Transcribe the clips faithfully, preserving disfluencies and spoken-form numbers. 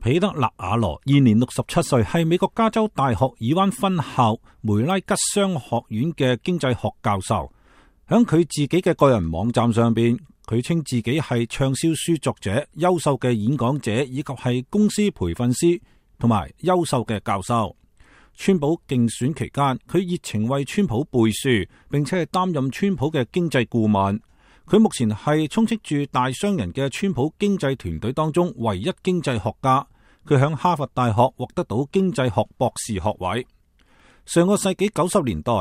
彼得納瓦羅現年六十七歲，係美國加州大學爾灣分校梅拉吉商學院嘅經濟學教授。響佢自己嘅個人網站上邊，佢稱自己係暢銷書作者、優秀嘅演講者，以及係公司培訓師同埋優秀嘅教授。川普競選期間，佢熱情為川普背書，並且係擔任川普嘅經濟顧問。佢目前係充斥住大商人嘅川普經濟團隊當中唯一經濟學家。佢響哈佛大學獲得到經濟學博士學位。上個世紀九十年代，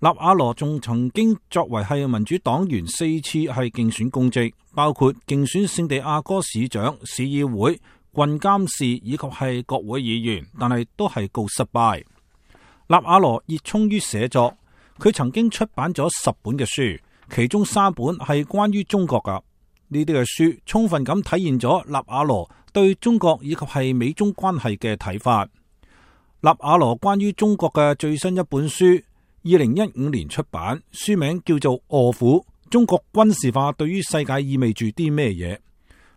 納瓦羅仲曾經作為係民主黨員四次係競選公職，包括競選聖地亞哥市長、市議會、郡監事以及係國會議員，但係都係告失敗。納瓦羅熱衷於寫作，佢曾經出版咗十本嘅書，其中三本係關於中國噶。呢啲嘅書充分咁體現咗納瓦羅對中國以及係美中關係嘅睇法。納瓦羅關於中國嘅最新一本書，二零一五年出版，書名叫做《餓虎：中國軍事化對於世界意味住啲咩嘢》。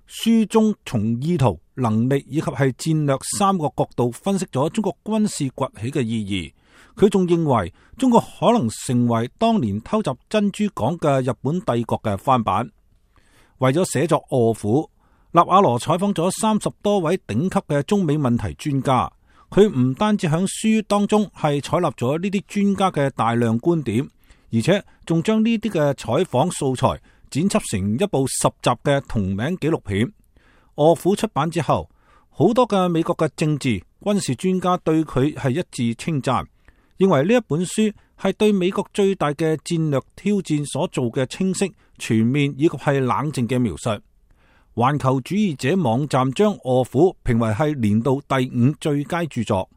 書中從意圖、能力以及係戰略三個角度分析咗中國軍事崛起嘅意義。佢仲認為中國可能成為當年偷襲珍珠港嘅日本帝國嘅翻版。為咗寫作《餓虎》，納瓦羅採訪咗三十多位頂級嘅中美問題專家。佢唔單止喺書當中係採納咗呢啲專家嘅大量觀點，而且仲將呢啲嘅採訪素材剪輯成一部十集嘅同名紀錄片。《餓虎》出版之後，好多嘅美國嘅政治軍事專家對佢係一致稱讚，認為呢一本書係對美國最大嘅戰略挑戰所做嘅清晰、全面以及係冷靜嘅描述。環球主義者網站將《餓虎》評為係年度第五最佳著作。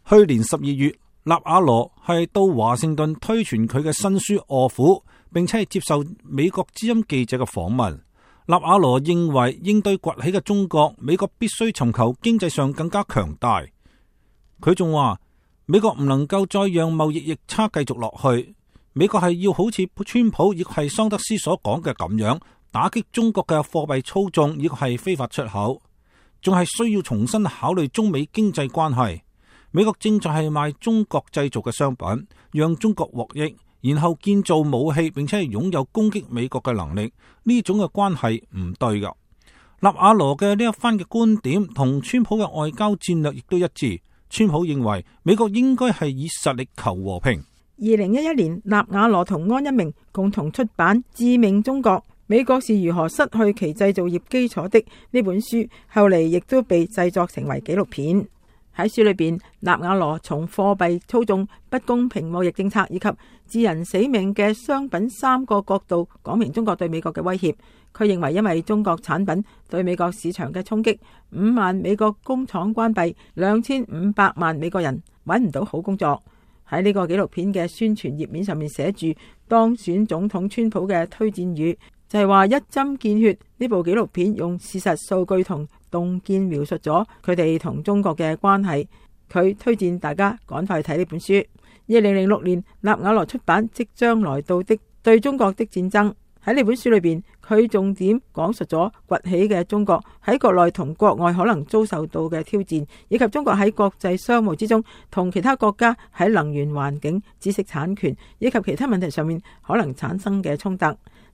去年十二月，納瓦羅係到華盛頓推傳佢嘅新書《餓虎》，並且係接受美國之音記者嘅訪問。納瓦羅認為，應對崛起嘅中國，美國必須尋求經濟上更加強大。佢仲話，美國唔能夠再讓貿易逆差繼續落去，美國係要好似川普亦係桑德斯所講嘅咁樣，打擊中國嘅貨幣操縱亦係非法出口，仲係需要重新考慮中美經濟關係。美國正在係賣中國製造嘅商品，讓中國獲益，然後建造武器，並且係擁有攻擊美國嘅能力，呢種嘅關係唔對噶。納瓦羅嘅呢一番嘅觀點同川普嘅外交戰略亦都一致。川普認為美國應該係以實力求和平。二零一一年，納瓦羅同安一鳴共同出版《致命中國：美國是如何失去其製造業基礎的》呢本書，後嚟亦都被製作成為紀錄片。喺書裏邊，納瓦羅從貨幣操縱、不公平貿易政策以及致人死命嘅商品三個角度講明中國對美國嘅威脅。佢認為因為中國產品對美國市場嘅衝擊，五萬美國工廠關閉，兩千五百萬美國人揾唔到好工作。喺呢個紀錄片嘅宣傳頁面上面寫住當選總統川普嘅推薦語，就係話一針見血。呢部紀錄片用事實數據同洞見描述咗佢哋同中國嘅關係。佢推薦大家趕快去睇呢本書。二零零六年，納瓦羅出版《即將來到的對中國的戰爭》。喺呢本書裏邊，佢重點講述咗崛起嘅中國喺國內同國外可能遭受到嘅挑戰，以及中國喺國際商務之中同其他國家喺能源、環境、知識產權以及其他問題上面可能產生嘅衝突。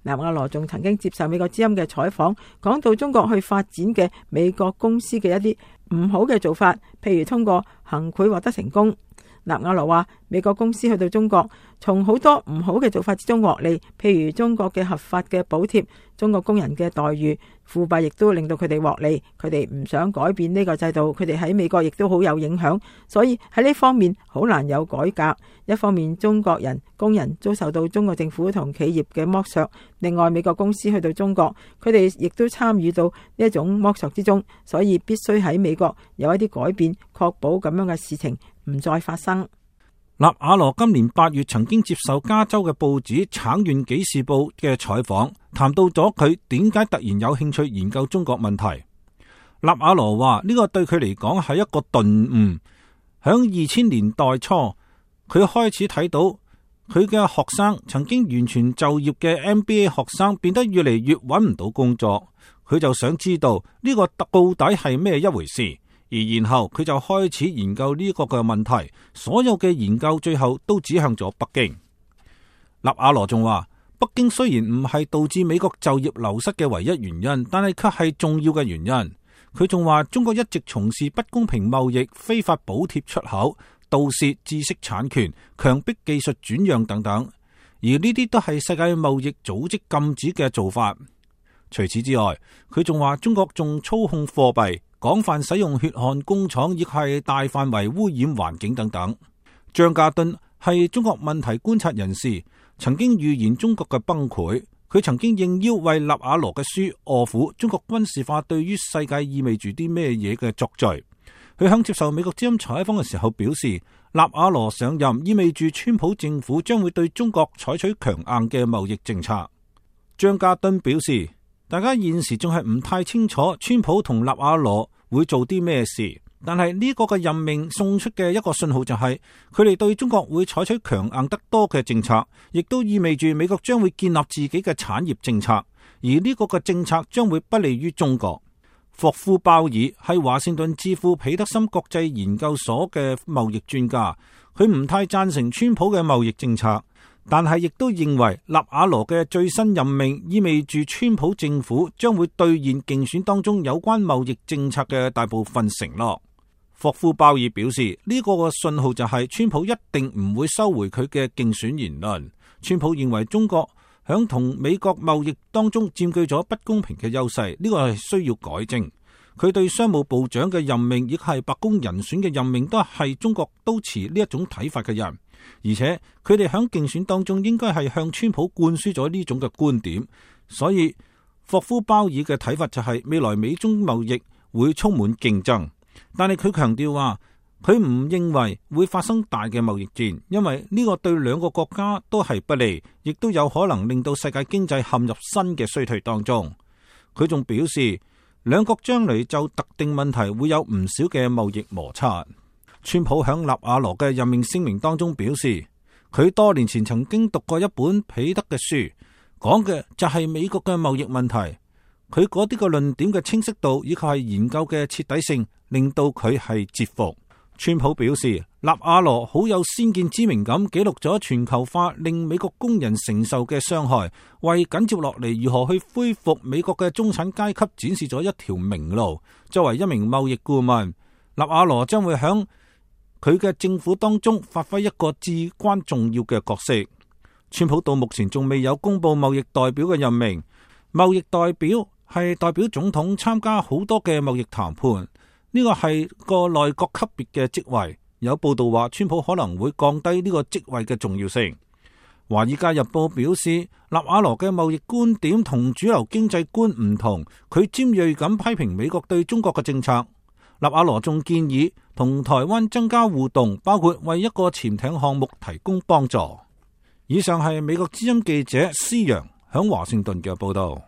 納瓦羅仲曾經接受美國之音嘅採訪，講到中國去發展嘅美國公司嘅一啲唔好嘅做法，譬如通過行賄獲得成功。納瓦羅話，美國公司去到中國，從好多唔好嘅做法之中獲利，譬如中國嘅合法嘅補貼、中國工人嘅待遇、腐敗，亦都令到佢哋獲利。佢哋唔想改變呢個制度，佢哋喺美國亦都好有影響，所以喺呢方面好難有改革。一方面中國人工人遭受到中國政府同企業嘅剝削，另外美國公司去到中國，佢哋亦都參與到呢一種剝削之中，所以必須喺美國有一啲改變，確保咁樣嘅事情唔再發生。納瓦羅今年八月曾經接受加州嘅報紙《橙縣紀事報》嘅採訪，談到咗佢點解突然有興趣研究中國問題。納瓦羅話呢個對佢嚟講係一個頓悟。響二千年代初，佢開始睇到佢嘅學生曾經完全就業嘅 M B A 學生變得越嚟越揾唔到工作，佢就想知道呢個到底係咩一回事。而然後佢就開始研究呢個嘅問題，所有嘅研究最後都指向咗北京。納瓦羅仲話，北京雖然唔係導致美國就業流失嘅唯一原因，但係卻係重要嘅原因。佢仲話，中國一直從事不公平貿易、非法補貼出口、盜竊知識產權、強迫技術轉讓等等，而呢啲都係世界貿易組織禁止嘅做法。除此之外，佢仲話中國仲操控貨幣、廣泛使用血汗工廠，亦係大範圍污染環境等等。張家敦係中國問題觀察人士，曾經預言中國嘅崩潰。佢曾經應邀為納瓦羅嘅書《餓苦：中國軍事化對於世界意味住啲咩嘢》嘅作序。佢響接受美國之音採訪嘅時候表示，納瓦羅上任意味住川普政府將會對中國採取強硬嘅貿易政策。張家敦表示，大家現時仲係唔太清楚川普同納瓦羅會做啲咩事，但係呢個嘅任命送出嘅一個信號就係佢哋對中國會採取強硬得多嘅政策，亦都意味住美國將會建立自己嘅產業政策，而呢個嘅政策將會不利於中國。霍夫鮑爾係華盛頓智庫彼得森國際研究所嘅貿易專家，佢唔太贊成川普嘅貿易政策，但係亦都認為納瓦羅嘅最新任命意味住川普政府將會兌現競選當中有關貿易政策嘅大部分承諾。霍夫鮑爾表示，呢、這個嘅信號就係川普一定唔會收回佢嘅競選言論。川普認為中國響同美國貿易當中佔據咗不公平嘅優勢，呢、這個係需要改正。佢對商務部長嘅任命，亦係白宮人選嘅任命，都係中國都持呢一種睇法嘅人，而且佢哋響競選當中應該係向川普灌輸咗呢種嘅觀點。所以霍夫鮑爾嘅睇法就係未來美中貿易會充滿競爭。但係佢強調話，佢唔認為會發生大嘅貿易戰，因為呢個對兩個國家都係不利，亦都有可能令到世界經濟陷入新嘅衰退當中。佢仲表示，兩國將來就特定問題會有唔少嘅貿易摩擦。川普響納瓦羅嘅任命聲明當中表示，佢多年前曾經讀過一本彼得嘅書，講嘅就係美國嘅貿易問題。佢嗰啲個論點嘅清晰度以及係研究嘅徹底性，令到佢係折服。川普表示，納瓦羅好有先見之明咁記錄咗全球化令美國工人承受嘅傷害，為緊接落嚟如何去恢復美國嘅中產階級展示咗一條明路。作為一名貿易顧問，納瓦羅將會響佢嘅政府當中發揮一個至關重要嘅角色。川普到目前仲未有公布貿易代表嘅任命，貿易代表係代表總統參加好多嘅貿易談判，呢個係個內閣級別嘅職位。有報道話，川普可能會降低呢個職位嘅重要性。華爾街日報表示，納瓦羅嘅貿易觀點同主流經濟觀唔同，佢尖銳咁批評美國對中國嘅政策。納瓦羅仲建議同台灣增加互動，包括為一個潛艇項目提供幫助。以上係美國之音記者施陽響華盛頓嘅報道。